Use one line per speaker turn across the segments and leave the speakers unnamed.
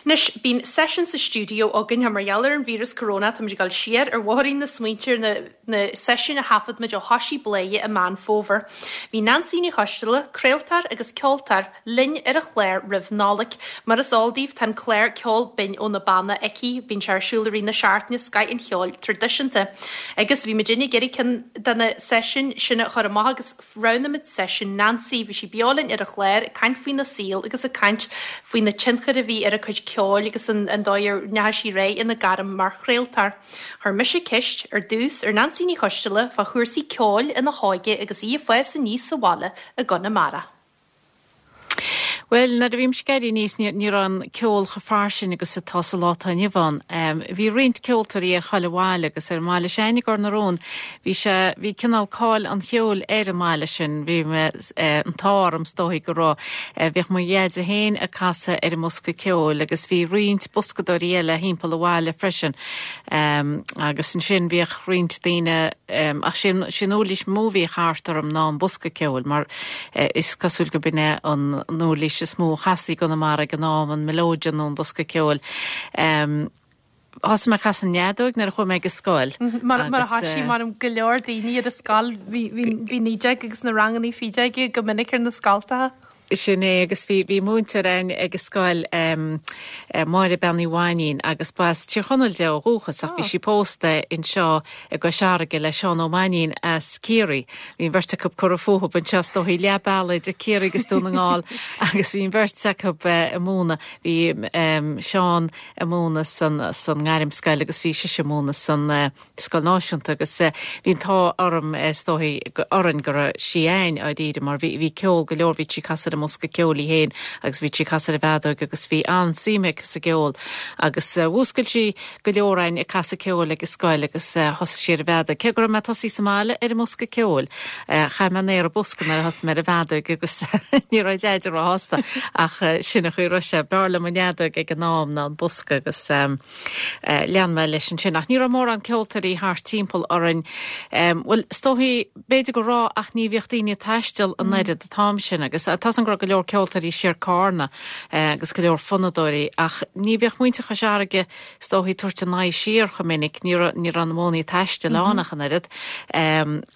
Anois, bíonn seisiún sa stiúideo againn mar gheall ar an víreas corona, táimid ag dul siar ar bhóithrín na smaointe ar na na seisiúin a thaifead muid ó thoisigh Bladhaire i Meán Fómhair. Bhí Neansaí Ní Choisdealbha, craoltóir agus ceoltóir, linn ar an chlár roimh Nollaig. Mar is eol daoibh, tá an clár Ceol Binn ó na Banna aici, bíonn sé ar siúl i rith na seachtaine, scoth an cheoil traidisiúnta. Agus bhí muidinne ag iarraidh ceann de na seisiúin sin a chur amach agus. Roghnaigh muid seisiún Nancy. Bhí sí beo linn ar an chlár ag caint faoina saol agus ag caint faoi na tionchair a bhí ar a cuid ceoil agus an dóigh ar ndeachaigh sí ar aghaidh ina gairm mar chraoltóir. Chuir mise ceist ar dtús ar Nancy Ní Choisdealbha fá chúrsaí ceoil ina hóige agus í ag fás aníos sa bhaile i gConamara.
Bhuel, nuair a bhí mise ag éirí aníos, ní, ní raibh an ceol chomh fairsing agus atá sa lá atá inniu ann. Bhí roinnt ceoltóirí ar chuile bhaile agus ar an mbaile s'againne i gCor na Rón, bhí sé, bhí cineál cáil an cheoil ar an mbaile sin. Bhí mé, an t-ádh orm is dóigh go raibh, bhíodh mo dheaide féin ag casadh ar an mbosca ceoil agus bhí roinnt boscadóirí eile thimpeall an bhaile freisin. Agus ansin bhíodh roinnt daoine, ach sé an, sé an uirlis mó a bhíodh thart orm ná an bosca ceoil mar is cosúil go b'in é an uirlis is mó a chastaí i gConamara ag an am, an mileoidean nó an bosca ceoil. Thosaigh mé ag casadh an fheadóig nuair a chuaigh mé ag an scoil.
Mar a thoisigh mar go leor daoine ar an scoil, bhí bhí 19 agus na rangannaí fideoige go minic ar na scoltacha.
Sin é, agus bhí, bhí múinteoir againn ag an scoil, Máire Bean Uí Mhainín, agus ba as Tír Chonaill di ó dhúchas ach bhí sí pósta anseo i gCois Fharraige le Seán Ó Mainnín as Ciarraí. Bhí an bheirt acu curtha fúthu anseo is dóichí leath bealaigh idir Ciarraí agus Dún na nGall agus bhí an bheirt acu ag múineadh. Bhí Seán ag múineadh san, san ngairmscoil agus bhí sise ag múineadh san, Scoil Náisiúnta agus bhí an t-ádh orm is dóichí, orainn go raibh sí a'ainn dháiríre mar bhí bhí ceol go leor, bhí sí ag casadh ar an mbosca ceoil í féin agus bhí sí ag casadh ar an bhfeadóig agus bhí an-suim aici sa gceol agus mhúscail sí go leor a'ainn ag casadh ceoil ag an scoil agus thosaigh sí ar an bhfeadóig. Cé go raibh mé tosaithe sa mbaile ar an mbosca ceoil, chaith mé an aer an bosca nuair a thosaigh mé ar an bhfeadóig agus ní raibh Deaide róshásta ach sin an chaoi a raibh sé. B'fhearr liom an fheadóig ag an am ná an bosca agus. Lean mé leis ansin. Ach ní raibh mórán ceoltóirí thart timpeall orainn. Bhuel, is dóichí, b'fhéidir go raibh ach ní bhíodh daoine ag taisteal an oiread an t-am sin agus tá 's agam go raibh go leor ceoltóirí siar Carna agus go leor fonnadóirí ach ní bhíodh muintir Chois Fharraige is dóichí ag tabhairt a n-aghaidh siar chomh minic, ní raibh, ní raibh na modhannaí taistil ann ach an oiread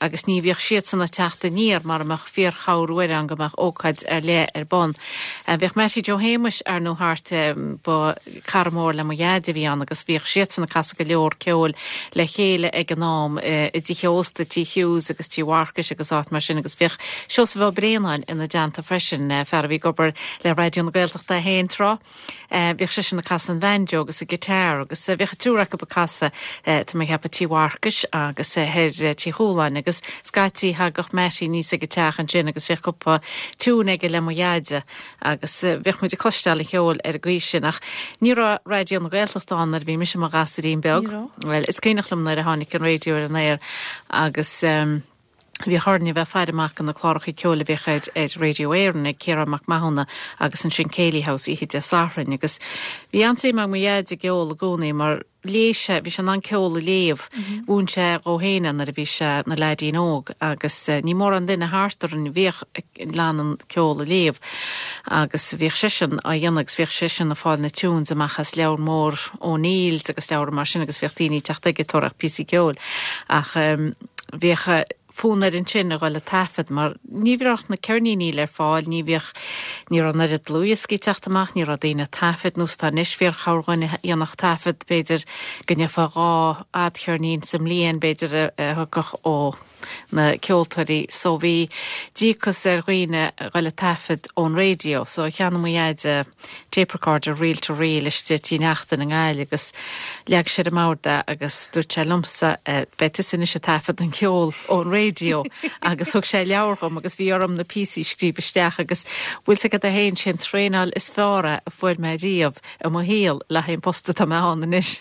agus ní bhíodh siadsan ag teacht aniar mara mbeadh fíorchabhair uair ann go mbeadh ócáid ar leith ar bun. Bhíodh Mattie Joe Shéamuis ar ndóigh thart, ba. Cara mór le mo dhaid a bhí ann agus bhíodh siadsan ag casadh go leor ceoil le chéile ag an am i dtithe ósta, Tí Hughes agus Tí Mharcais agus áit mar sin agus bhíodh Seosamh Ó Braonáin ina dteannta freisin, fear a bhí ag obair le Raidió na Gaeltachta é féin tráth. Bhíodh seisean ag casadh an bhanjo agus an guitar agus bhíodh an triúr acu ag casadh, tá mé ag ceapadh, Tí Mharcais agus thoir Tí Chualáin agus scaití thagadh Mattie aníos ag an teach ansin agus bhíodh cúpla tiún aige le mo dhaid. Agus bhíodh muid ag cloisteáil an cheoil ar an gcaoi sin ach ní raibh Raidió na Gaeltachta ann nuair a bhí mise i mo ghasúirín beag. Ní raibh. Bhuel, is cuimhneach liom nuair a tháinig an raidió ar an aer agus bhíodh orainn a bheith ag faire amach do na cláracha ceoil a bhíodh ar ar Radio Éireann ag Ciarán Mac Mathúna agus ansin Céilí House oíche Dé Sathairn agus bhí an-suim ag mo dhaid i gceol i gcónaí mar léigh sé, bhí sé in ann ceol a léamh. Mhúin sé dhó féin é nuair a bhí sé ina leaidín óg agus ní mórán duine thart orainn a bhíodh in ann an ceol a léamh agus bhíodh seisean á dhéanamh agus bhíodh seisean ag fáil na tunes amach as leabhar mór O'Neill's agus leabhra mar sin agus bhíodh daoine ag teacht aige ag tabhairt píosaí ceoil ach bhíodh fonn air ansin a dhul ag taifead mar ní bhíodh na ceirníní le fáil, ní bhíodh, ní raibh an oiread dlúthdhioscaí ag teacht amach, ní raibh daoine ag taifead nós atá anois, fíorchorrdhuine a dhéanfadh taifead, b'fhéidir go ndéanfá dhá fhadcheirnín sa mbliain, b'fhéidir a thiocfadh ó na ceoltóirí so bhí díocas ar dhaoine a dhul ag taifead ón raidió so cheannaigh mo dhaid tape recorder reel to reel istigh i Tí Neachtain i nGaillimh agus leag sé ar an mbord é agus dúirt sé liomsa beidh tusa anois ag taifead an cheol ón raidió agus thug sé leabhar dhom agus bhí orm na píosaí a scríobh isteach agus bhfuil 's agat é féin sé an traenáil is fearr é a fuair mé riamh i mo shaol le haghaidh an post atá mé ann
anois.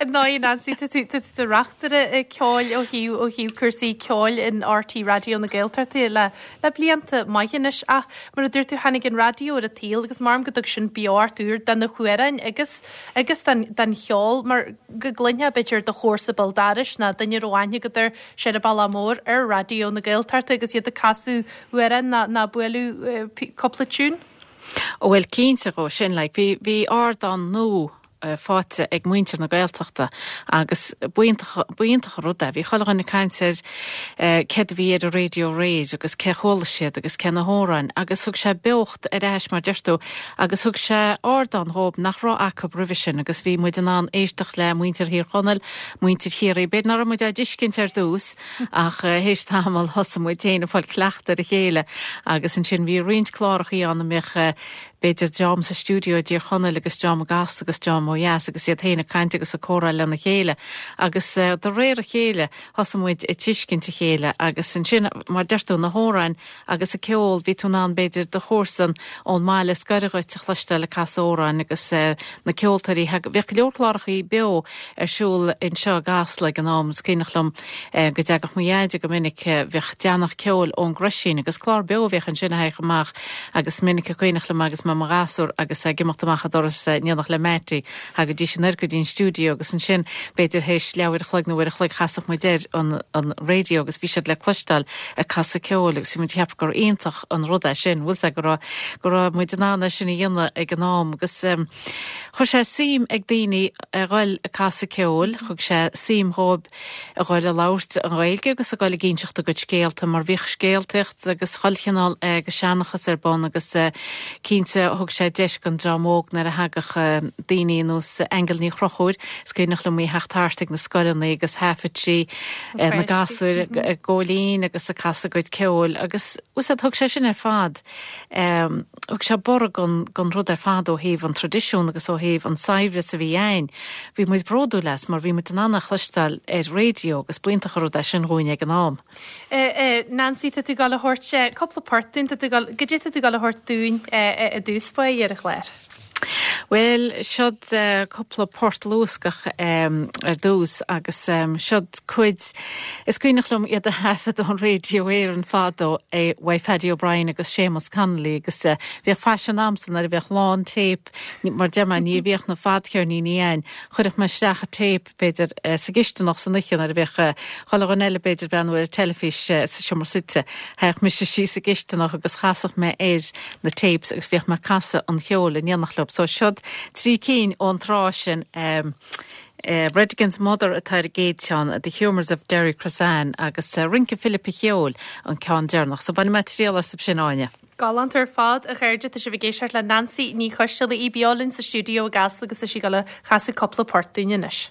Ar ndóigh Nancy tá tú i do reachtaire ceoil ó thaobh ó thaobh cúrsaí ceoil in RTÉ Raidió na Gaeltachta le le blianta maithe anois ach mar a dúirt tú tháinig an raidió ar an tsaol agus maram go dtug sin beocht úr do na hamhráin agus agus don don cheol mar go gcluinfeá b'fhéidir do chomharsa béal dorais nó duine a raibh aithne agat air soir an Bealach Mór ar Raidió na Gaeltachta agus iad ag casadh amhráin nó nó bualadh cúpla tiún.
Ó bhuel cinnte dhó sin, like, bhí, bhí ardán nua faighte ag muintir na Gaeltachta agus b'iontach, b'iontach an rud é. Bhí chuile dhuine ag caint ar céard a bhí ar an raidió aréir agus cé chuala siad agus cé na hamhráin agus thug sé beocht ar ais mar deir tú agus thug sé ardán dhóib nach raibh acu roimhe sin agus bhí muid in ann éisteacht le muintir Thír Chonaill, muintir Chiarraí, b'fhéidir nach raibh muid á dtuiscint ar dtús ach théis tamaill thosaigh muid féin ag fáil cleachtadh ar a chéile agus ansin bhí roinnt clárachaí ann a mbeadh b'fhéidir dream sa stiúideo i dTír Chonaill agus dream i gCasla agus dream ó dheas agus iad féin ag caint agus ag comhrá lena chéile agus de réir a chéile thosaigh muid ag tuiscint a chéile agus ansin mar deir tú na hamhráin agus an ceol bhí tú in ann b'fhéidir do chomharsan ón mbaile is gaire dhuit a chloisteáil ag casadh amhráin agus na ceoltóirí bhíodh go leor clárachaí beo ar siúl anseo i gCasla ag an am. Is cuimhneach liom go dtagadh mo dheaide go minic, bhíodh deannach ceoil ón gCroisín agus clár beo a bhíodh ansin a thagadh amach agus minic a cuimhneach liom agus mé i mo ghasúr agus ag imeacht amach an doras in éineacht le Mattie, thagaidís anoir go dtí an stiúideo agus ansin b'fhéidir théis leathuair a chloig nó uair a chloig chasfadh muid air an an raidió agus bhí siad le cloisteáil ag casadh ceoil agus bhí muid ag ceapadh gur iontach an rud é sin, bhfuil 's a'd go raibh go raibh muid in ann é sin a dhéanamh ag an am agus. Chuir sé suim ag daoine a ghoil ag casadh ceoil, thug sé suim dhóibh a ghoil ag labhairt an Ghaeilge agus a ghoil ag inseacht a gcuid scéalta mar bhíodh scéaltaíocht agus chuile chineál de sheanchas ar bun agus cinnte thug sé deis don dream óg nuair a thagadh daoine ar nós Aingeal Ní Chonchúir, is cuimhneach liom í a theacht thart ag na scoileanna agus thaifead sí na gasúir ag gabháil fhoinn agus ag casadh a gcuid ceoil agus thug sé sin ar fad Thug sé borradh don rud ar fad ó thaobh an traidisiún agus ó thaobh an saibhreas a bhí a'ainn. Bhí muid bródúil as mar bhí muid in ann é a chloisteáil ar raidió agus b'iontach an rud é sin dhúinn ag an am.
Nancy, tá tú ag gabháil a thabhairt cúpla port dúinn, tá tú ag gabháil, goidé tá tú ag gabháil a thabhairt dúinn i dtús báire ar an chlár?
Bhuel, seod cúpla port luascach ar dtús agus seod cuid, is cuimhneach liom iad a thaifead ón Radio Éireann fadó uaidh Phaddy O'Brien agus Séamus Connolly agus bhíodh faisean a'msa nuair a bheadh lán téip, mar deir mé ní bhíodh na fadcheirníní a'ainn, chuirfeadh mé isteach an téip b'fhéidir, sa gcisteanach san oíche nuair a bheadh chuile dhuine eile, b'fhéidir, ag breathnú ar an teilifís sa seomra suite. Thagadh mise síos sa gcisteanach agus chasadh mé air na tapes agus bhíodh mé ag casadh an cheoil in éineacht leo. So seod trí cinn ón tráth sin. Redigan's Mother atá ar an gcéad cheann, The Humours of Derrycrossan agus Rince Philip an Cheoil an ceann deireanach. So bainfidh mé triail asaibh sin, Áine.
Galánta ar fad, a chairde. Tá sibh ag éisteacht le Nancy Ní Choisteala, í beo linn sa stiúideo i gCasla agus tá sí ag dul a chasadh cúpla port dúinn anois.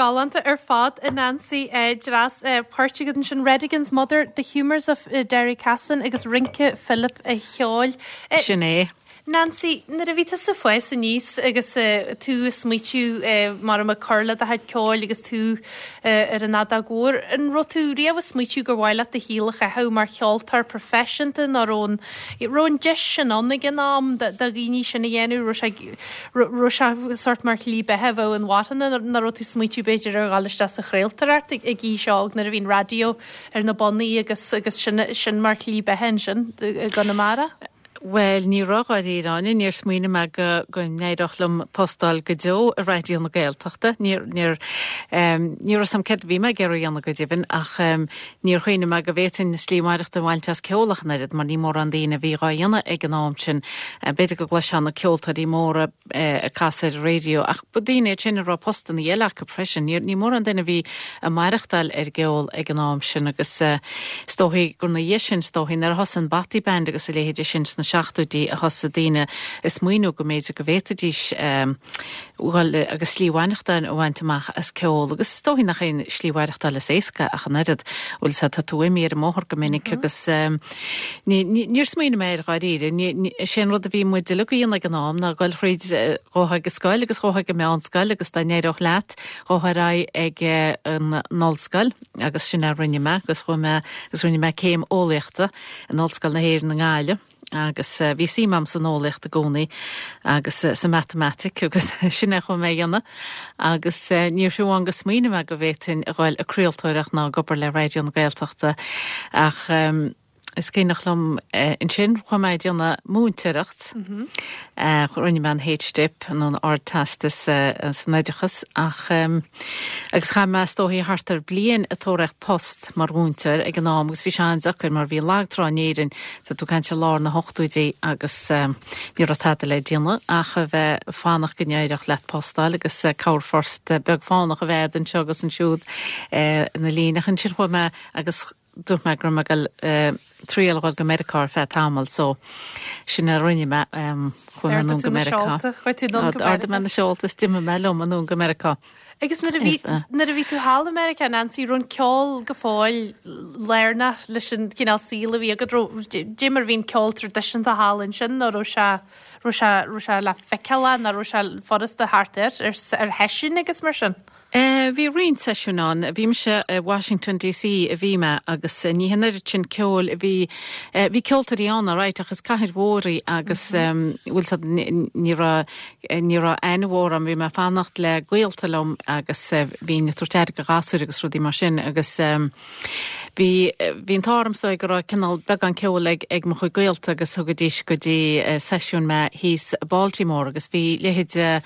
Galánta ar fad, a Nancy. Dreas poirt agat ansin, Redigan's Mother, The Humours of Derry Cassin agus Rince Philip a' Cheoil.
Sin é.
Nancy, nuair a bhí tusa ag fás aníos agus tú ag smaoitiú mar a cur le do chuid ceoil agus tú ar an fheadóg mhór, an raibh tú riamh ag smaoitiú gur mhaith leat do shaol a chaitheamh mar cheoltóir proifisiúnta nó raibh an raibh an deis sin ann ag an am do dhaoine sin a dhéanamh, raibh sé raibh sé sórt mar shlí beatha a bheadh inmharthana nó raibh tú ag smaoitiú b'fhéidir ar dhul isteach sa chraoltóireacht ag aois óg nuair a bhí an raidió ar na bonnaí agus agus sin sin mar shlí beatha ansin i gConamara?
Bhuel, ní raibh, dháiríre, Áine. Níor smaoinigh mé go, go n-éireodh liom post a fháil go deo i Raidió na Gaeltachta. Níor, níor, ní raibh 'fhios a'm céard a bhí mé ag iarraidh a dhéanamh go deimhin ach níor chuimhnigh mé go bhféadfainn slí mhaireachtála a bhaint as ceol ach an oiread mar ní mórán daoine a bhí dhá dhéanamh ag an am sin. B'fhéidir go gcloisfeá na ceoltóirí móra ag casadh ar an raidió ach ba daoine iad sin a raibh postanna eile acu freisin. Ní mórán duine a bhí ag maireachtáil ar an gceol ag an am sin agus is dóichí gur ina dhiaidh sin, is dóichí, nuair a thosaigh an Bothy Band agus a leithéide sin sna seachtóidí a thosaigh daoine ag smaoineamh go mb'fhéidir go bhféadfaidís dhul agus slí mhaireachtáil a bhaint amach as ceol agus is dóichí nach é an slí mhaireachtáil is éasca ach an oiread. Bhuel sea, tá tú imithe ar an mbóthar go minic agus níor smaoinigh mé air dháiríre. Is é an rud a bhí muid uilig a dhéanamh ag an am ná dul thríd, ghabhfá ag an scoil agus ghabhfá ag an meánscoil agus dá n-éireodh leat, ghabhfá ar aghaidh ag an ollscoil agus sin a rinne mé agus chuaigh mé agus rinne mé céim eolaíochta in Ollscoil na hÉireann i nGaillimh. Agus bhí suim agam san eolaíocht i gcónaí agus sa matamaitic agus sin é a chuaigh mé a dhéanamh. Agus níor fiú amháin go smaoinigh mé go bhféadfainn a ghoil ag craoltóireacht ná ag obair le Raidió na Gaeltachta ach is cuimhneach liom ansin chuaigh mé ag déanamh múinteoireacht. Rinne mé an H-Dip nó an Ardteastas san Oideachas ach agus chaith mé is dóichí thart ar bliain ag tóraíocht post mar mhúinteoir ag an am agus bhí sé an-deacair mar bhí lag trá in Éirinn, tá tú ag caint ar lár na hochtóidí agus ní raibh tada le déanamh ach a bheith ag fanacht go n-éireodh leat post a fháil agus corrphost beag fánach a bheith agat anseo agus ansiúd ina linn ach ansin chuaigh mé agus dúirt mé go raibh mé ag dul triail a dhul go Meiriceá ar feadh tamaill so sin a rinne mé. Chuaigh mé anonn go Meiriceá. D'ardaigh mé na seolta is d'imigh mé liom anonn go Meiriceá.
Agus nuair a bhí nuair a bhí tú thall i Meiriceá, Nancy, raibh an ceol go fóill lárnach leis an chineál saoil a bhí agat, raibh dé mar a bhí an ceol traidisiúnta thall ansin nó raibh sé raibh sé raibh sé le feiceáil nó raibh sé furasta thart air ar ar sheisiúin agus mar sin?
Bhí roinnt seisiún ann. Bhí mise i Washington DC a bhí mé agus ní an oiread sin ceoil a bhí, bhí ceoltóirí ann alright ach is cathair mhór í agus bhfuil 's a'd ní raibh, ní raibh aithne mhór a'm, bhí mé ag fanacht le gaolta liom agus bhínn ag tabhairt aire do ghasúir agus rudaí mar sin agus Bhí, bhí an t-ádh orm is dóigh go raibh cineál beagán ceoil ag, ag mo chuid gaolta agus thugaidís go dtí seisiúin mé thíos i Baltimore agus bhí leithéid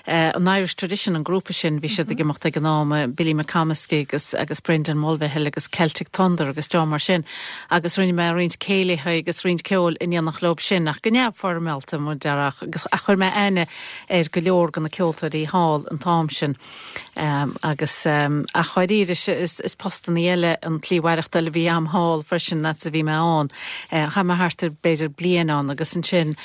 an Irish Tradition, an grúpa sin, bhí siad ag imeacht ag an am, Billy McComiskey agus, agus Brendan Mulvihill agus Celtic Thunder agus dream mar sin agus rinne mé roinnt céilithe agus roinnt ceoil in éineacht leo sin ach go neamhfhoirmeálta mar déarfá agus, ach chuir mé aithne ar go leor de na ceoltóirí thall an t-am sin. Agus, ach dháiríre, is postannaí eile an tslí mhaireachtáil a bhí a'm thall freisin, fhad is a bhí mé ann. Chaith mé thart ar b'fhéidir bliain ann agus ansin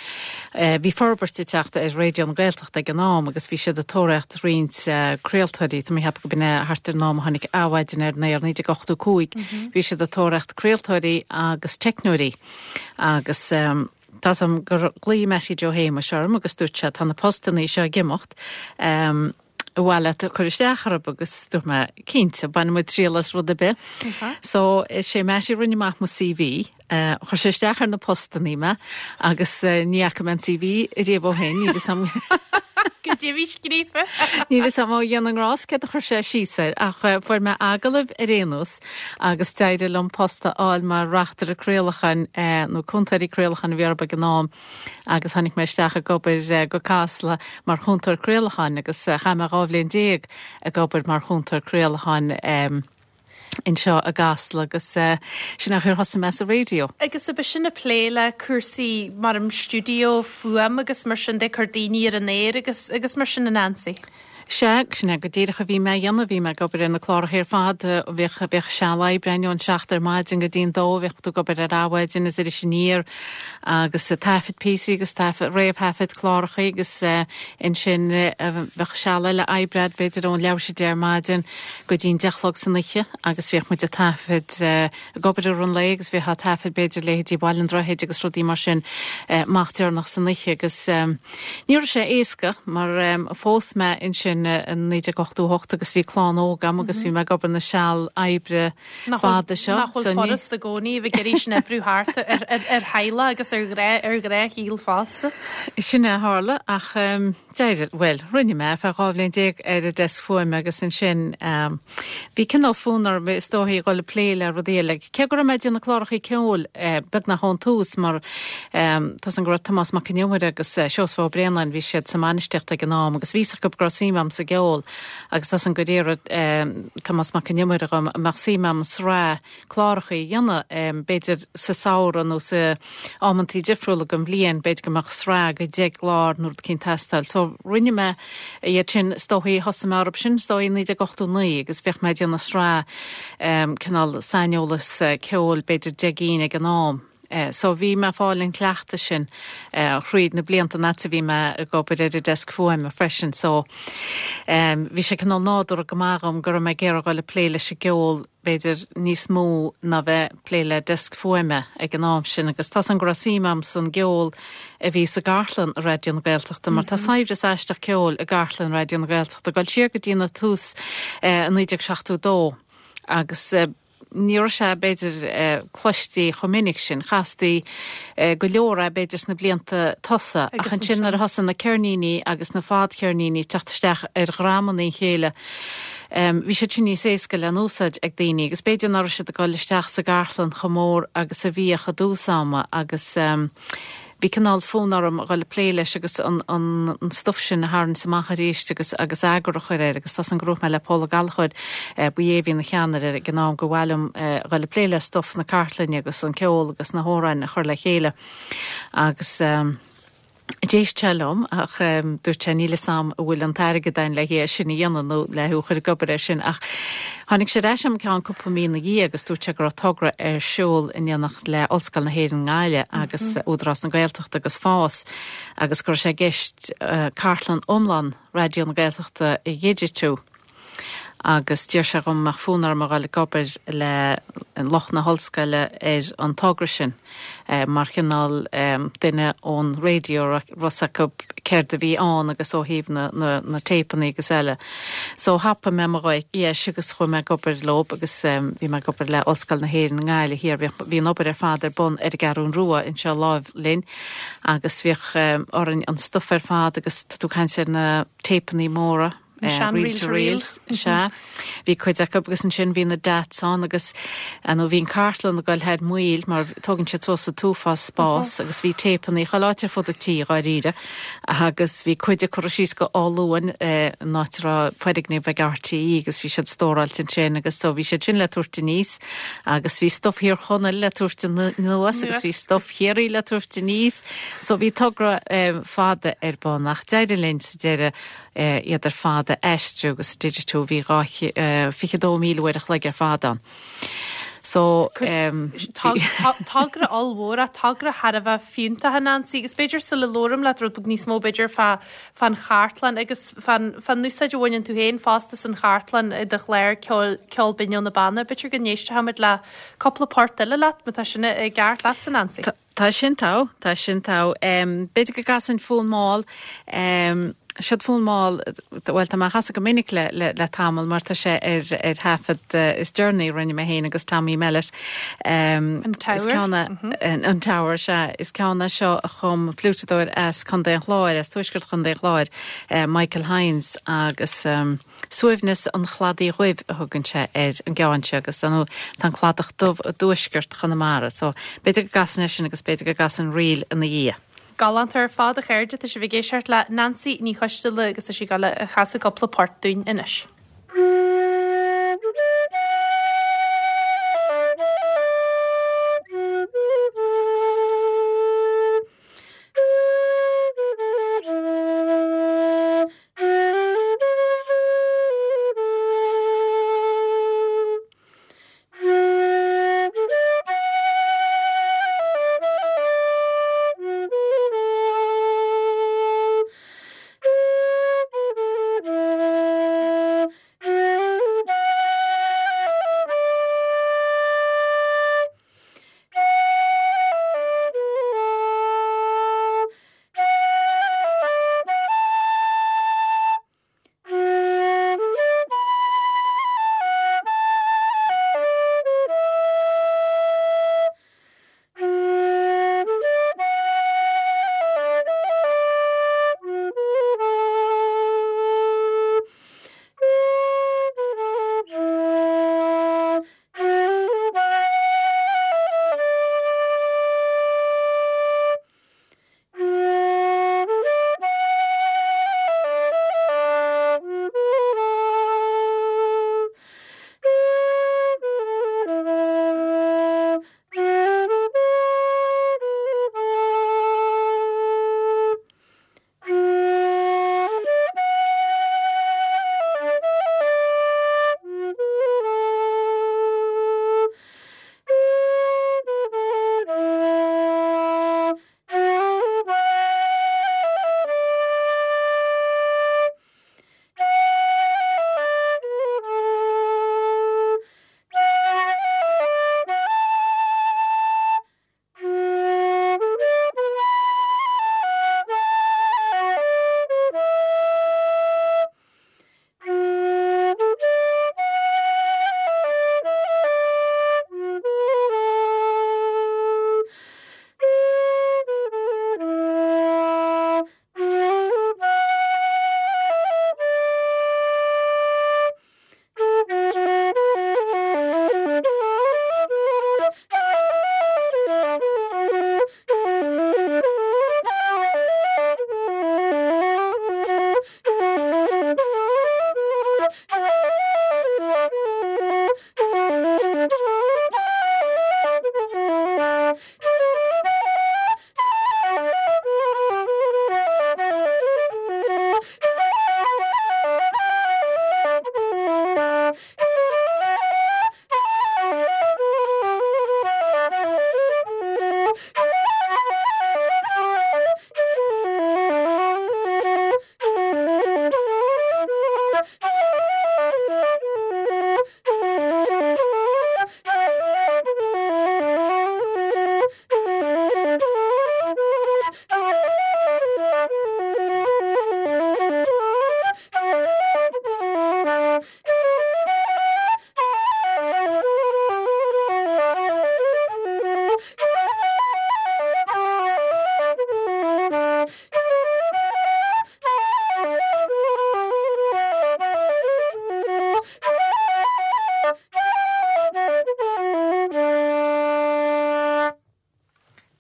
bhí forbairt ag teacht ar Raidió na Gaeltachta ag an am agus bhí siad ag tóraíocht roinnt craoltóirí, tá mé ag ceapadh go b'in é thart ar an am a tháinig Adhmhaidin ar an aer, 1985, bhí siad ag tóraíocht craoltóirí agus teicneoirí agus. Tá 's a'm gur ghlaoigh Mattie Joe Shéamuis orm agus dúirt sé tá na postannaí seo ag imeacht, ar mhaith leat cur isteach orthu agus dúirt mé cinnte, bainfidh muid triail as rud ar bith. So is é Mattie a rinne amach mo CV, chuir sé isteach ar na postannaí mé agus ní fhaca mé an CV ariamh ó shin, níl 'fhios a'm.
Goidé a bhí scríofa.
Níl 'fhios a'm ó Dhia na nGrást céard a chuir sé síos air ach fuair mé agallamh ar aon nós agus d'éirigh liom post a fháil mar reachtaire craolacháin nó cúntóirí craolacháin a bhí orthu ag an am agus tháinig mé isteach ag obair go Casla mar chúntóir craolacháin agus chaith mé 12 bhliain ag obair mar chúntóir craolacháin anseo i gCasla agus sin é an chaoi ar thosaigh mé sa raidió.
Agus ab é sin ag plé le cúrsaí mar an stiúideo fuaim agus mar sin de, cur daoine ar an aer agus agus mar sin a Nancy?
Sea, sin é go díreach a bhí mé a dhéanamh, bhí mé ag obair ar na cláracha ar fad, bhíodh, bhíodh seal oibre againn ón seacht ar maidin go dtí an dó, bhíodh tú ag obair ar Adhmhaidin is Iris Aniar agus ag taifead píosaí agus taifead, réamhthaifead cláracha agus ansin bheadh seal eile oibre a'd b'fhéidir ón leathuair tar éis a deich ar maidin go dtí an deich a chlog san oíche agus bhíodh muid ag taifead ag obair i rith an lae agus bhíothá ag taifead b'fhéidir leithéidí Bhaile an Droichid agus rudaí mar sin amach deireanach san oíche agus ní raibh sé éasca mar phós mé ansin in 1988 agus bhí clann óg agam agus bhí mé ag obair na seal oibre fada seo.
Nach bhfuil furasta i gcónaí a bheith ag iarraidh sin oibriú thart ar theaghlach agus ar ghnáthshaol fosta.
Sin é a tharla ach D'éirigh, bhuel, rinne mé ar feadh 12 bhliain ar an deasc fuaime agus ansin bhí cineál fonn orm is dóichí a dhul ag plé le rudaí eile. Cé go raibh mé ag déanamh clárachaí ceoil beagnach ón tús mar tá 's agam go raibh Tomás Mac Con Iomaire agus Seosamh Ó Braonáin, bhí siad sa mbainistíocht ag an am agus bhí 's acu go raibh suim agam sa gceol agus tá 's agam gur iarr Tomás Mac Con Iomaire dhom an mbeadh suim agam sraith cláracha a dhéanamh, b'fhéidir sa samhradh nó sa amantaí difriúla den bhliain, b'fhéidir go mbeadh sraith de 10 gclár nó rud eicínt ag teastáil. So rinne mé iad sin, is dóichí, thosaigh mé orthu sin, is dóichí, i 1989 agus bhíodh mé ag déanamh sraith cineál saineolas ceoil, b'fhéidir 10 gcinn ag an am. So bhí mé ag fáil an chleachtaidh sin thríd na blianta an fhad is a bhí mé ag obair ar an deasc fuaime freisin. So bhí sé cineál nádúrtha go maith dhom go raibh mé ag iarraidh dhul ag plé leis an gceol b'fhéidir níos mó ná bheith ag plé le deasc fuaime ag an am sin agus tá 's agam go raibh suim agam san gceol a bhí sa gcartlann i Raidió na Gaeltachta mar tá saibhreas aisteach ceoil i gcartlann Raidió na Gaeltachta ag dul siar go dtí na tús i 1972 agus ní raibh sé b'fhéidir cloistí chomh minic sin. Chastaí go leor é b'fhéidir sna blianta tosaigh ach ansin nuair a thosaigh na ceirníní agus na fadcheirníní ag teacht isteach ar dhreamanna a chéile Bhí siad sin níos éasca le n-úsáid ag daoine agus b'fhéidir nach raibh siad ag dul isteach sa gcartlann chomh mór agus a bhíodh i dtús ama agus bhí cineál fonn orm a dhul ag plé leis agus an an stuif sin a tharraingt amach arís agus agus eagar a chur air agus tá 's agam gur dhúirt mé le Pól Ó Gallchóir, ba é a bhí ina cheannaire ag an am, gur mhaith liom a dhul ag plé le stuif na cartlainne agus an ceol agus na hamhráin a chur le chéile agus. D'éist sé liom ach dúirt sé níl 'fhios a'm an bhfuil an t-airgead a'inn le é sin a dhéanamh nó le thú a chur ag obair air sin ach tháinig sé ar ais agam ceann cúpla mí ina dhiaidh agus dúirt sé go raibh togra ar siúl in éineacht le Ollscoil na hÉireann i nGaillimh agus Údarás na Gaeltachta agus FÁS agus go raibh sé i gceist cartlann iomlán Raidió na Gaeltachta a dhigitiú. agus d'iarr sé dhom an mbeadh fonn orm a dhul ag obair le lucht na hollscoile ar an togra sin mar chineál duine ón raidió a raibh 'fhios acu céard a bhí ann agus ó thaobh na na téipeanna agus eile. So thapaigh mé mo dheis agus chuaigh mé ag obair leob agus bhí mé ag obair le Ollscoil na hÉireann i nGaillimh thiar. Bhí an obair ar fad ar bun ar an gCeathrún Rua anseo láimh linn agus bhíodh orainn an stuif ar fad agus tá tú ag caint ar na téipeanna móra
Na sean
reel to reels, sea. Bhí cuid acu agus ansin bhí na DATs ann agus nó bhí an cartlann ag dul thar maoil mar tógann siad suas an t-uafás spás agus bhí téipeanna chuile áit ar fud an tí dháiríre agus bhí cuid a cuireadh síos go Áth Luain an áit a raibh foirgneamh ag RTÉ agus bhí siad stóráilte ansin agus so bhí siad sin le tabhairt aníos agus bhí stuif Thír Chonaill le tabhairt anuas agus bhí stuif Chiarraí le tabhairt aníos so bhí togra fada ar bun ach d'éirigh linn sa deireadh iad ar fad a aistriú agus a digitiú. Bhí 22,000 uair a chloig ar fad ann. So.
Togra ollmhór é, togra thar a bheith fiúntach, a Nancy, agus b'fhéidir sula labhraím leat rud beag níos mó b'fhéidir fá fán chartlann agus fán fán úsáid a bhaineann tú féin fosta as an chartlann i do chlár ceoil Ceol Binn ó na Beanna, b'fhéidir go n-éistfimid le cúpla port eile leat má tá sin i gceart leatsa, Nancy.
Tá sin togha, tá sin togha. B'fhéidir go gcasfainn Fonn Mall, siod Fonn Mall, bhuel tá mé á chasadh go minic le, le, le tamall mar tá sé ar, ar thaifead is deireanaí a rinne mé féin agus Tommy Mellett.
An Tower.
Is ceann é, an Tower, sea. Is ceann é seo a chum fliúiteadóir as Contae an Chláir, as tuaisceart Chontae an Chláir, Michael Hynes agus. Suaimhneas an Chladaigh Dhuibh a thugann sé ar an gceann seo agus ar ndóigh tá an Cladach Dubh i dtuaisceart Chonamara so b'fhéidir go gcasfainn é sin agus b'fhéidir go gcasfainn ríl ina dhiaidh.
Galánta ar fad, a chairde, tá sibh ag éisteacht le Nancy Ní Choisteala agus tá sí ag dul a chasadh cúpla port dúinn anois.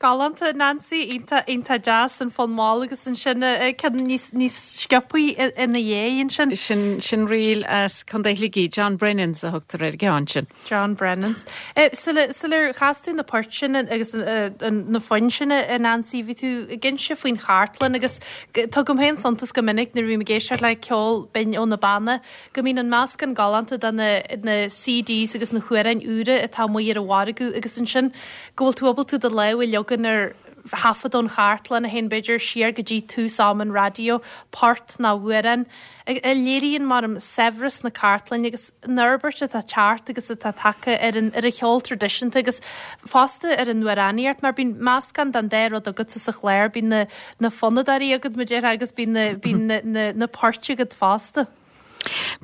Galánta, Nancy, iontach, iontach deas, an fonn mall agus ansin ceann níos, níos sciobthaí ina dhiaidh ansin.
Sin, sin ríl as Contae Shligigh, John Brennans a thugtar ar an gceann sin.
John Brennans. Sula, sular chas tú na poirt sin agus na foinn sin, a Nancy, bhí tú ag inse faoin chartlann agus tugaim féin suntas go minic nuair a bhím ag éisteacht le ceol binn ó na Beanna, go mbíonn an meascán galánta de na na CDs agus na hamhráin úra atá amuigh ar an mhargadh agus ansin go bhfuil tú ábalta do lámh a leagan ar thaifead ón chartlann a théann b'fhéidir siar go dtí tús am an raidió, port nó amhrán a léiríonn maram saibhreas na cartlainne agus an fhorbairt atá teacht agus atá tagtha ar an ar an cheol traidisiúnta agus fosta ar an amhránaíocht mar bíonn meascán den dá rud agatsa sa chlár, bíonn na na fonnadóirí agat, mar a déarfá, agus bíonn na, bíonn na, na, na poirt agat fosta.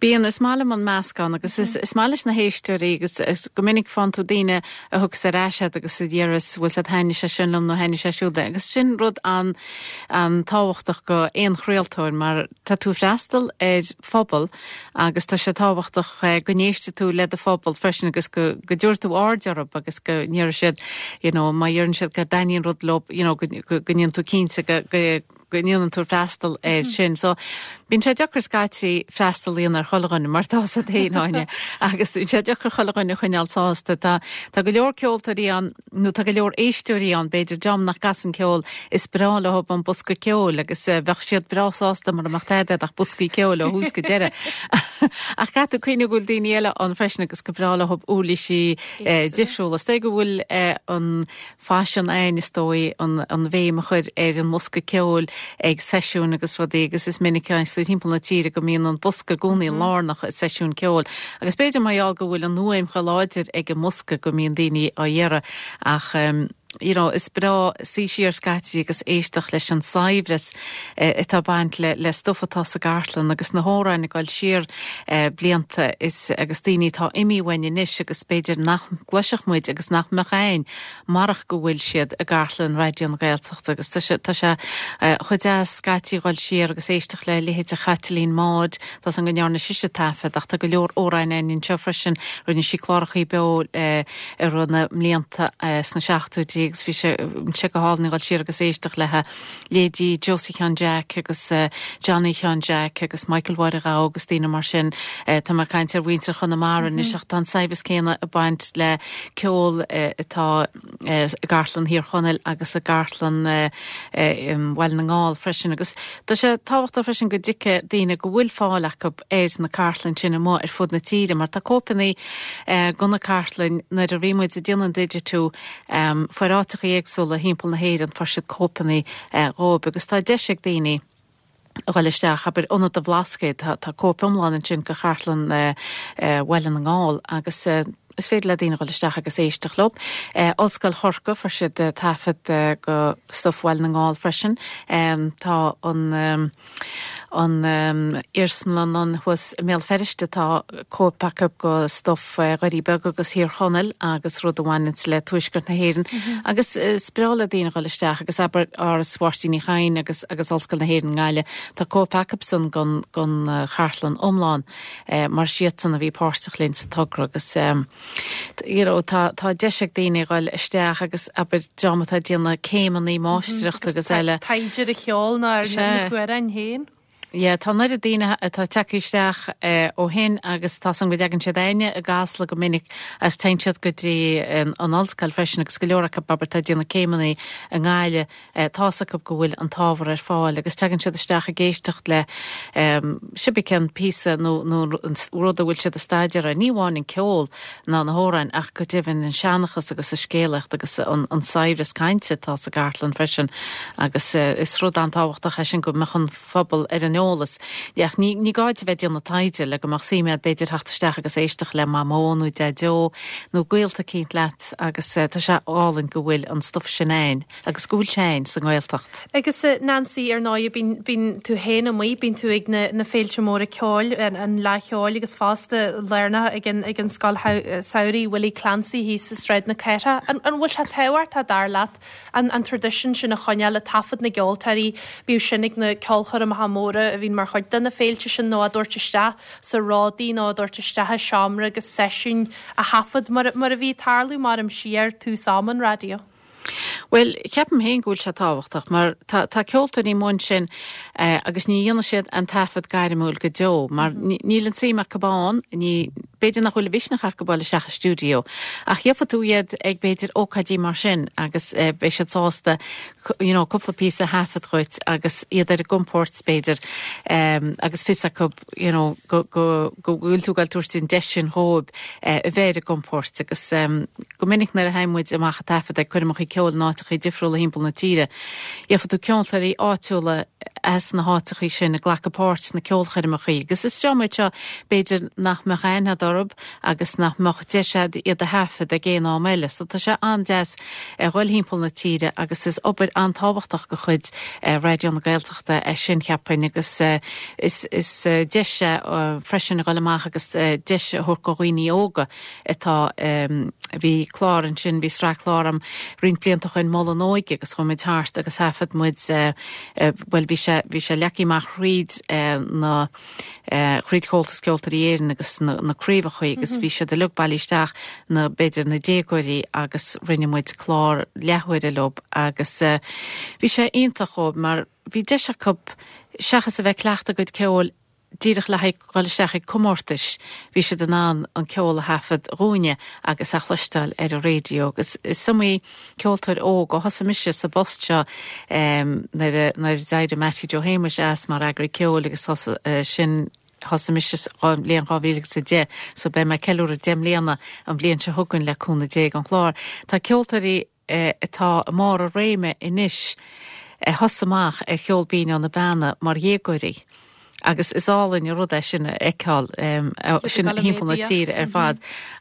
Bíonn, is maith liom an meascán agus is, is maith leis na héisteoirí agus is go minic faigheann tú daoine a thugas ar ais iad agus a deireas bhfuil siad thaitnigh sé sin liom nó thaitnigh sé siúd agus sin rud an, an-tábhachtach go aon chraoltóir mar tá tú ag freastal ar phobal agus tá sé tábhachtach go n-éistfidh tú le do phobal freisin agus go, go dtabharfaidh tú aird orthu agus go ndéarfaidh siad you know má dheireann siad go dtaitníonn rud leo you know go, go, go ndéanann tú cinnte go, go, go ndéanann tú freastal air sin. So bíonn sé deacair scaití freastal a dhéanamh ar chuile dhuine mar tá a fhios agat féin Áine agus bíonn sé deacair chuile dhuine a choinneáil sásta. Tá tá go leor ceoltóirí ann nó tá go leor éisteoirí ann b'fhéidir dream nach gcasann ceol is breá leo an bosca ceoil agus bheadh siad breá sásta mura mbeadh tada ach boscaí ceoil ó thús go deireadh. Ach caithfidh tú cuimhneamh go bhfuil daoine eile ann freisin agus gur breá leo uirlisí difriúla. Is dóigh go bhfuil an faisean ann, is dóigh, an bhéim a chur ar an mbosca ceoil ag seisiúin agus rudaí agus is minic is tú timpeall na tíre go mbíonn an bosca i gcónaí lárnach i seisiún ceoil agus b'fhéidir mar gheall go bhfuil an fhuaim chomh láidir ag an mbosca go mbíonn daoine á iarraidh ach you know is breá suí siar scaití agus éisteacht leis an saibhreas atá ag baint le le stuif atá sa gcartlann agus na hamhráin ag dul siar blianta is agus daoine atá imithe uainn anois agus b'fhéidir nach gcloisfeadh muid agus nach mbeadh a'inn marach go bhfuil siad i gcartlann Raidió na Gaeltachta agus tá sé tá sé chomh deas scaití dhul siar agus éisteacht le leithéide Chaitlín Maude, tá 's a'm go ndearna sise taifead ach tá go leor amhráin a'inn anseo freisin, rinne sí clárachaí beo i rith na mblianta sna seachtóidí agus bhí sé sé go hálainn dhul siar agus éisteacht léi. Leithéidí Josie Sheáin Jeaic agus Johnny Sheáin Jeaic agus Michael Mháire Ghabha agus daoine mar sin. Tá mé ag caint ar mhuintir Chonamara anois ach tá an saibhreas céanna ag baint le ceol atá i gCartlann Thír Chonaill agus i gCartlann Bhaile na nGall freisin. Agus tá sé tábhachtach freisin go dtuigfidh daoine go bhfuil fáil acu ar na cartlainn sin amuigh ar fud na tíre mar tá cóipeanna de na cartlainn nuair a bhí muid ag déanamh an digitiú Fuair áiteachaí éagsúla thimpeall na hÉireann, fuair siad cóipeanna dhóibh agus tá deis ag daoine a dhul isteach, abair, Ionad an Bhlascaoid, tá tá cóip iomlán ansin de Chartlann Bhaile na nGall agus is féidir le daoine a dhul isteach agus éisteacht leo. Ollscoil Chorcaí, fuair siad taifead de stuif Bhaile na nGall freisin. Tá an. an iarsmalann ann thuas i mBéal Feirste tá cóip acu de stuif Dhoirí Beaga agus Thír Chonaill agus rud a bhaineanns le Tuaisceart na hÉireann agus is breá le daoine dhul isteach agus abair Áras Mháirtín Uí Chadhain agus agus Ollscoil na hÉireann i nGaillimh tá cóip acusan den den chartlann iomlán mar is iadsan a bhí páirteach linn sa togra agus you know tá tá deis ag daoine dhul isteach agus abair dream atá ag déanamh céimeanna máistreachta agus eile.
Taighde ar an cheol ná ar na hamhráin féin.
Yeah, tá an oiread daoine atá tagtha isteach ó shin agus tá 's a'm go dtagann siad a'inne i gCasla go minic ach téann siad go dtí an ollscoil freisin agus go leor acu abair atá ag déanamh céimeanna i nGaillimh tá's acu go bhfuil an t-ábhar ar fáil agus tagann siad isteach ag éisteacht le cibé cén píosa nó nó an rud a bhfuil siad ag staidéar air, ní amháin an ceol ná na hamhráin ach go deimhin an seanchas agus an scéalaíocht agus an an saibhreas cainte atá sa gcartlann freisin agus is rud an-tábhachtach é sin go mbeadh an phobal ar an eolas. Ach ní ní gá duit a bheith ag déanamh taighde le go mbeadh suim agat b'fhéidir theacht isteach agus éisteacht le Mamó nó Deaideo nó gaolta eicínt leat. Agus tá sé álainn go bhfuil an stuif sin a'inn agus go bhfuil sé a'inn sa nGaeltacht.
Agus Nancy, ar ndóigh, bíonn, bíonn tú féin amuigh, bíonn tú ag na, na féilte móra ceoil, an, an Fhleadh Cheoil agus fosta lárnach ag an, ag an Scoil Samhraidh Willie Clancy thíos i Sráid na Cathrach. An, an bhfuil sé tábhachtach, dar leat, an, an traidisiún sin a choinneáil, ag taifead na gceoltóirí, bíodh sin ag na ceolchoirmeacha móra a bhíonn mar chuid de na féilte sin nó á dtabhairt isteach sa ródaí nó á dtabhairt isteach i seomra agus seisiúin a thaifead mar a bhí ag tarlú maram siar tús am an raidió.
Bhuel, ceapaim féin go bhfuil sé tábhachtach mar tá tá ceoltóirí amuigh ansin agus ní dhéanfaidh siad an taifead gairmiúil go deo mar níl an tsuim acu ann, ní, b'fhéidir nach bhfuil an mhisneach acu dul isteach i stiúideo ach gheobhaidh tú iad ag b'fhéidir ócáidí mar sin agus beidh siad sásta you know cúpla píosa a thaifead dhuit agus iad ar a gcompord b'fhéidir agus fios acu you know go go go bhfuil tú ag dul tabhairt an deis sin dhóibh a bheith ar a gcompord agus go minic nuair a théann muid amach ag taifead ag coirmeacha ceoil in áiteacha difriúla thimpeall na tíre gheobhaidh tú ceoltóirí áitiúla as na háiteacha sin ag glacadh páirt sna ceolchoirmeacha agus is dream iad seo b'fhéidir nach mbeadh aithne a'd orthu agus nach mbeadh deis a'd iad a thaifead ag aon am eile. So tá sé an-deas a dhul thimpeall na tíre agus is obair an-tábhachtach de chuid Raidió na Gaeltachta é sin cheapfainn agus is is deis é freisin a dhul amach agus deis a thabhairt do dhaoine óga atá bhí clár ansin, bhí sraith clár a'm roinnt blianta ó shoin Mol an Óige agus chuaigh muid thart agus thaifead muid bhuel bhí sé bhí sé leagtha amach thríd na thríd Chomhaltas Ceoltóirí Éireann agus na na craobhacha agus bhí siad uilig bailithe isteach na b'fhéidir na déagóirí agus rinne muid clár leathuaire leo agus bhí sé iontach dhóibh mar bhí deis acu seachas a bheith ag cleachtadh a gcuid ceoil díreach le haghaidh dhul isteach ag comórtais, bhí siad in ann an ceol a thaifead dhúinne agus a chloisteáil ar an raidió agus is iomaí ceoltóir óg ó thosaigh mise sa bpost seo nuair a nuair a d'éirigh Mattie Joe Shéamuis as mar eagraí ceoil agus thosaigh sin thosaigh mise sa bhliain 2010 so beidh mé ag ceiliúradh 10 mbliana an bhliain seo chugainn le cúnamh Dé ag an chlár. Tá ceoltóirí atá i mbarr a réime anois a thosaigh amach ar cheol binn ó na Beanna mar dhéagóirí agus is álainn an rud é sin a fheiceáil sin thimpeall na tíre ar fad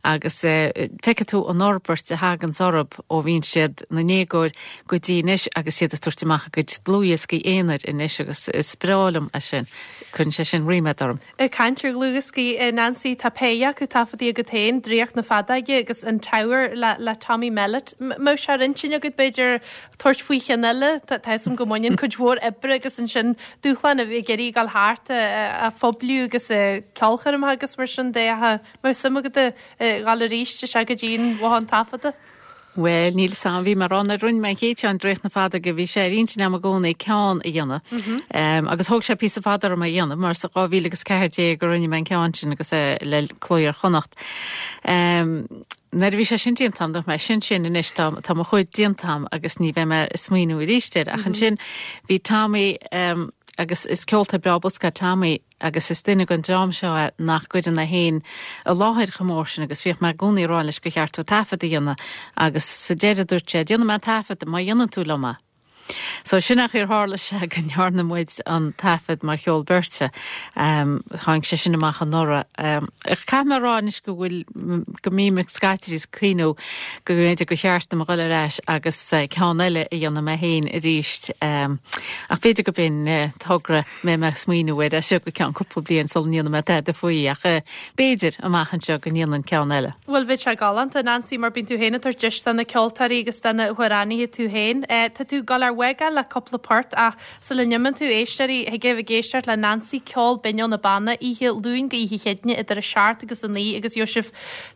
agus feicfidh tú an fhorbairt a thaganns orthu ó bhíonn siad ina ndéagóir go dtí anois agus iad ag tabhairt amach a gcuid dlúthdhioscaí aonair anois agus is breá liom é sin. Cuireann sé sin ríméad orm.
Ag caint ar dhlúthdhioscaí, Nancy, tá péire acu taifeadta agat féin, Draíocht na Feadóige agus An Tower le le Tommy Mellett. Mbeadh sé ar intinn agat, b'fhéidir, tabhairt faoi cheann eile? Tá fhios agam go mbaineann cuid mhór oibre agus ansin dúshlán a bheith ag iarraidh dul thart á phoibliú agus ceolchoirmeacha agus mar sin de. Ach mbeadh suim agat a dhul arís isteach go dtí an bhothán taifeadta?
Bhuel, níl 'fhios a'm, bhí mé ag rá nuair a rinne mé an chéad cheann, Draíocht na Feadóige, bhí sé ar intinn a'm i gcónaí ceann a dhéanamh. Agus thóg sé píosa fada orm é a dhéanamh, mar sa 2014 a rinne mé an ceann sin agus é le Cló Iar-Chonnacht. Nuair a bhí sé sin déanta a'm, dúirt mé, sin sin anois, tá, tá mo chuid déanta a'm agus ní bheidh mé ag smaoineamh arís air. Ach ansin bhí Tommy, agus is ceoltóir breá bosca é Tommy, agus is duine den dream seo é nach gcuireann é féin i láthair chomh mór sin agus bhíodh mé i gcónaí ag rá leis gur cheart dó taifead a dhéanamh agus sa deireadh dúirt sé 'déanfaidh mé an taifead má dhéanann tú liom é'. So sin an chaoi ar tharla sé go ndearna muid an taifead mar cheol beirte. Tháinig sé sin amach anuraidh. Caithfidh mé a rá anois go bhfuil, go mbím ag scaití ag cuimhniú go mb'fhéidir gur cheart dom a dhul ar ais agus ceann eile a dhéanamh mé féin arís. Ach b'fhéidir go b'in togra mbeidh mé ag smaoineamh air as seo go ceann cúpla bliain sula ndéanfaidh mé tada faoi ach b'fhéidir amach anseo go ndéanfainn ceann eile.
Bhuel bheadh sé galánta, Nancy, mar bíonn tú féin ag tabhairt deis do na ceoltóirí agus do na hamhránaithe tú féin. Tá tú ag dul ár bhfágáil le cúpla port ach sula n-imíonn tú, éisteoirí, thig libh ag éisteacht le Nancy, Ceol Binn ó na Beanna, oíche Luain go oíche Chéadaoine idir 7 agus 9 agus gheobhaidh sibh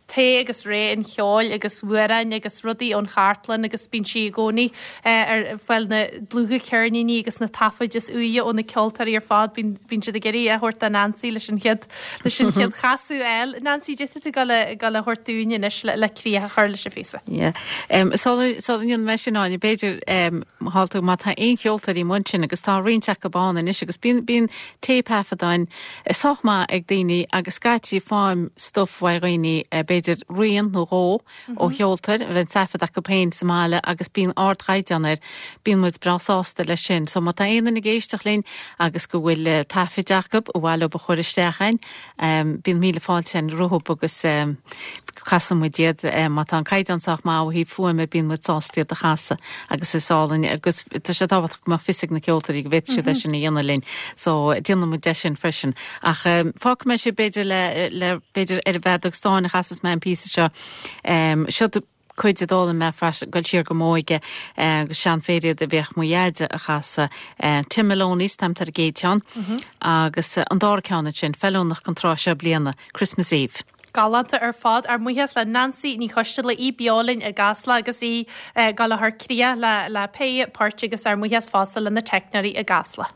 tae agus réidh an cheoil agus amhráin agus rudaí ón chartlann agus bíonn sí i gcónaí ar fáil na dlúthcheirníní agus na taifid is úire ó na ceoltóirí ar fad. Bíonn bíonn siad ag iarraidh a thabhairt do Nancy leis an chéad leis an chéad chasadh a fháil. Nancy, cad é atá tú ag gabháil a thabhairt dúinn anois le le críoch a chur leis an phíosa.
Yeah. Um, sula sula ndéanfaidh mé sin Áine, b'fhéidir um, thál tú má tá aon cheoltóirí amuigh ansin agus tá roinnt acu ann anois agus bíonn bíonn téipthaifeadáin sách maith ag daoine agus scaití faighim stuif uaidh dhaoine, b'fhéidir rian nó dhó ó cheoltóir a bheith taifead acu féin sa mbaile agus bíonn ardchaighdeán air. Bíonn muid breá sásta leis sin. So má tá aon duine ag éisteacht linn agus go bhfuil taifid acu ar mhaith leo a chur isteach a'inn, bíonn míle fáilte a'inn rompu agus casann muid iad. Má tá an caighdeán sách maith ó thaobh fuaime bíonn muid sásta iad a chasadh agus is álainn agus tá sé tábhachtach go mbeadh fios ag na ceoltóirí go bhféadfadh siad é sin a dhéanamh linn so déanann muid é sin freisin. Ach fágfaidh mé sibh b'fhéidir le le b'fhéidir ar an bhfeadóg stáin a chasas mé an píosa seo. Seo cuid a d'fhoghlaim mé freisin, ag dul siar go m'óige agus seanphéire a bhíodh mo dheaide a chasadh. Tim Maloney's Time ar an gcéad cheann agus an dara ceann ansin, feiliúnach don tráth seo bliana, Christmas Eve.
Galánta ar fad. Ár mbuíochas le Nancy Ní Choisteala, í beo linn i gCasla agus í ag dul a chur críoch le le pé páirt agus ár mbuíochas fosta le na teicneoirí i gCasla.